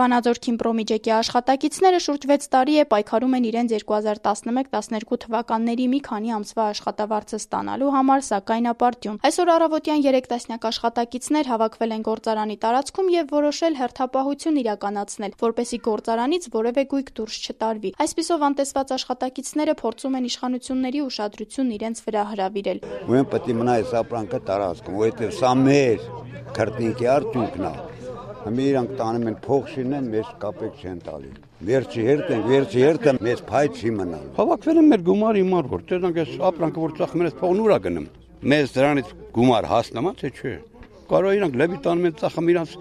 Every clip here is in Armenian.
Վանաձոր Քիմպրոմի ջեկի աշխատակիցները շուրջ 6 տարի է պայքարում են իրենց 2011-12 թվականների մի քանի ամսվա աշխատավարձը ստանալու համար, սակայն ապարդյուն։ Այսօր առավոտյան 3 տասնյակ աշխատակիցներ հավաքվել են գործարանի տարածքում եւ որոշել հերթապահություն իրականացնել, որպեսզի գործարանից որևէ գույք դուրս չտարվի։ Այսպիսով անտեսված աշխատակիցները փորձում են իշխանությունների ուշադրությունն իրենց վրա հրավիրել։ Մենք պետք է մնա այս ապրանքը տարածքում, որովհետեւ սա մեր քրտնիկի արդյունքն է։ Հիմա իրանք տանում են փող շինեն, մեզ կապեք չեն տալի։ Վերջի հերթը մեզ փայտ չի մնալ։ Հավաքվել են մեր գումարի համար, որ տեսնենք այս ապրանքը որ ծախում են, այս փողն ուրա գնում։ Մեզ դրանից գումար հասնամա թե չէ։ Կարող իրանք լեբի տանում են ծախում իրանք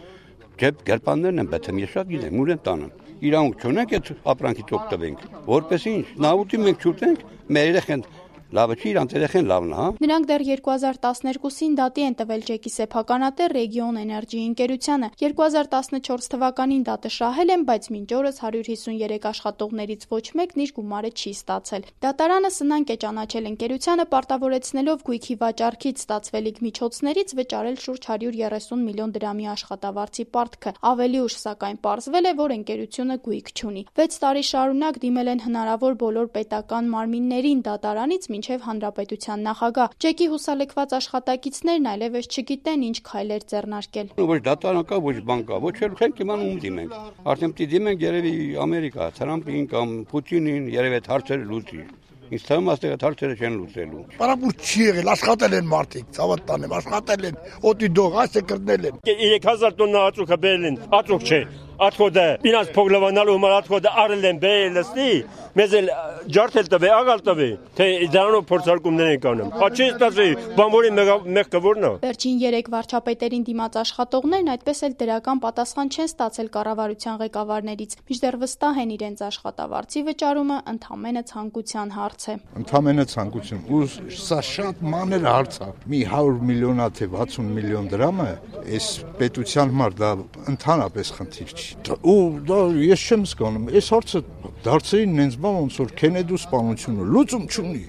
ջեփ գերպաններն են, բայց ես շատ գիտեմ, ուր են տանում։ Իրանք չունենք այդ ապրանքից օգտվենք, որպեսզի ինչ, նավուտի մենք չուտենք, մեր երեխեն լավը չի, իրանց երեխեն լավն է, հա։ Նրանք դեռ 2012-ին դատի են տվել ջեկի սեփականատեր Region Energy ընկերությանը։ 2014 թվականին դատը շահել են, բայց մինչ օրս 153 աշխատողներից ոչ մեկն իր գումարը չի ստացել։ Դատարանը սնանկ է ճանաչել ընկերությանը, պարտավորեցնելով գույքի վաճառքից ստացվելիք միջոցներից վճարել շուրջ 130 միլիոն դրամի աշխատավարձի պարտքը։ Ավելի ուշ, սակայն, պարզվել է, որ ընկերությունը գույք չունի։ 6 տարի շարունակ դիմել են հնարավոր բոլոր պետական մարմիններին դատարանից մինչև հանրապետության նախագահ։ Ջեկի հուսալքված աշխատակիցներն այլևս չգիտեն ինչ քայլեր ձեռնարկել։ Ոչ դատարան կա, ոչ բան կա, ոչ էլ չենք իմանում ում դիմենք։ Արդեն պիտի դիմենք երևի Ամերիկա, Թրամփին կամ Պուտինին, երևի այդ հարցերը լուծի։ Ինձ թվում է այստեղ հարցերը չեն լուծելու։ Պարապուր չի եղել, աշխատել են մարդիկ, ցավոտ տանեմ, աշխատել են, օդի դող, այսը կրնել են։ 3000 տոննա ածուկ բերել են, ածուկ չէ։ Ածուկը ինձ փողլավանալու համար ածուկը արել են բերելստի, մեզ էլ ջարդել տվե, աղալ տվե, թե դրանով փորձարկումներ են կանում։ Աչի ստացի, բանվորի մեղքը որն է։ Վերջին 3 վարչապետերին դիմաց աշխատողներն այդպես էլ դրական պատասխան չեն ստացել կառավարության ղեկավարներից, մինչդեռ վստահ են իրենց աշխատավարձի վճարումը ընդամենը ցանկության հարց է։ Ընդամենը ցանկություն, ու սա շատ մանր հարց է։ Մի 100 միլիոնա թե 60 միլիոն դրամը այս պետության համար դա ընդհանրապես խնդիր չի։ Ու դա ես չեմ զգանում, այս հարցը դարձրին նենց բան ոնց որ Քենեդու սպանությունը լուծում չունի։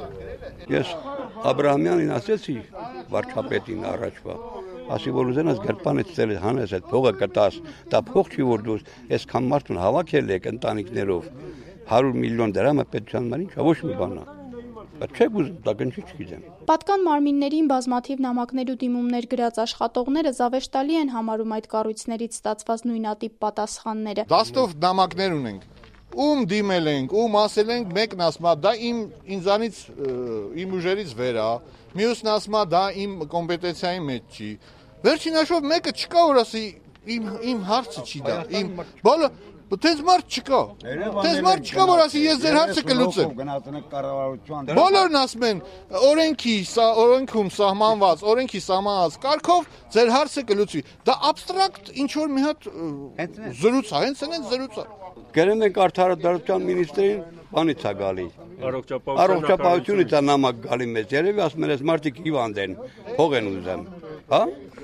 Ես Աբրահամյանին ասեցի վարչապետին առաջվա, ասի որ ուզենաս գերպանից ծել հանես այդ փողը կտաս, դա փող չի որ դու այսքան մարդուն հավաքել եք ընտանիքներով 100 միլիոն դրամը պետության համար ինչա ոչ մի բան է։ Չեք ուզում, դա կնչի չգիտեմ։ Պատկան մարմիններին բազմաթիվ նամակներ ու դիմումներ գրած աշխատողները զավեշտալի են համարում այդ կառույցներից ստացված նույնատիպ պատասխանները։ Դաստով նամակներ ունենք, ում դիմել ենք, ում ասել ենք, մեկն ասում է դա ինձանից իմ ուժերից վեր է, մյուսն ասում է դա իմ կոմպետենցիայի մեջ չի։ Վերջին հաշվով մեկը չկա որ ասի իմ հարցը չի դա, իմ բոլոր Տես մարդ չկա, որ ասի ես ձեր հարցը կլուծեմ։ Բոլորն ասում են օրենքում սահմանված կարգով ձեր հարցը կլուծվի։ Դա աբստրակտ ինչ որ մի հատ զրույց է, հենց այն զրույց է։ Գերեն ենք արդարադատության մինիստրին, բանից է գալի։ Առողջապահությունից է նամակ գալի մեզ, երևի ասում են այս մարդիկ հիվանդ են, փող են ուզում, հա։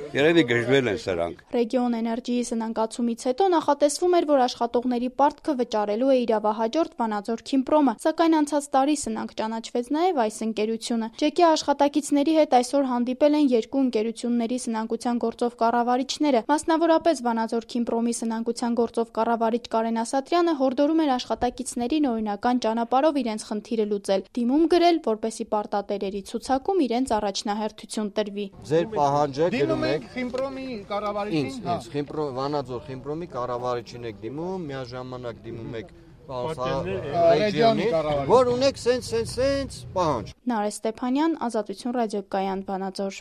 Երևի գժվել են սրանք։ Region Energy-ի սնանկացումից հետո նախատեսվում էր, որ աշխատողների պարտքը վճարելու է իրավահաջորդ Վանաձոր Քիմպրոմը, սակայն անցած տարի սնանկ ճանաչվեց նաև այս ընկերությունը։ Ջեկի աշխատակիցների հետ այսօր հանդիպել են 2 ընկերությունների սնանկության գործով կառավարիչները։ Մասնավորապես Վանաձոր Քիմպրոմի սնանկության գործով կառավարիչ Կարեն Ասատրյանը հորդորում էր աշխատակիցներին օրինական ճանապարհով իրենց խնդիրը լուծել, դիմում գրել, որպեսզի պարտատերերի ցուցակում իրենց առաջնահերթություն տրվի։ Ձեր պահանջը գրում եք Քիմպրոմի կառավարիչին, Վանաձոր Քիմպրոմի կառավարիչին եք դիմում, միաժամանակ դիմում եք Ռեգիոնի կառավարիչ, որ ունեք սենց պահանջ։ Նարեկ Ստեփանյան, Ազատություն ռադիոկայան, Վանաձոր։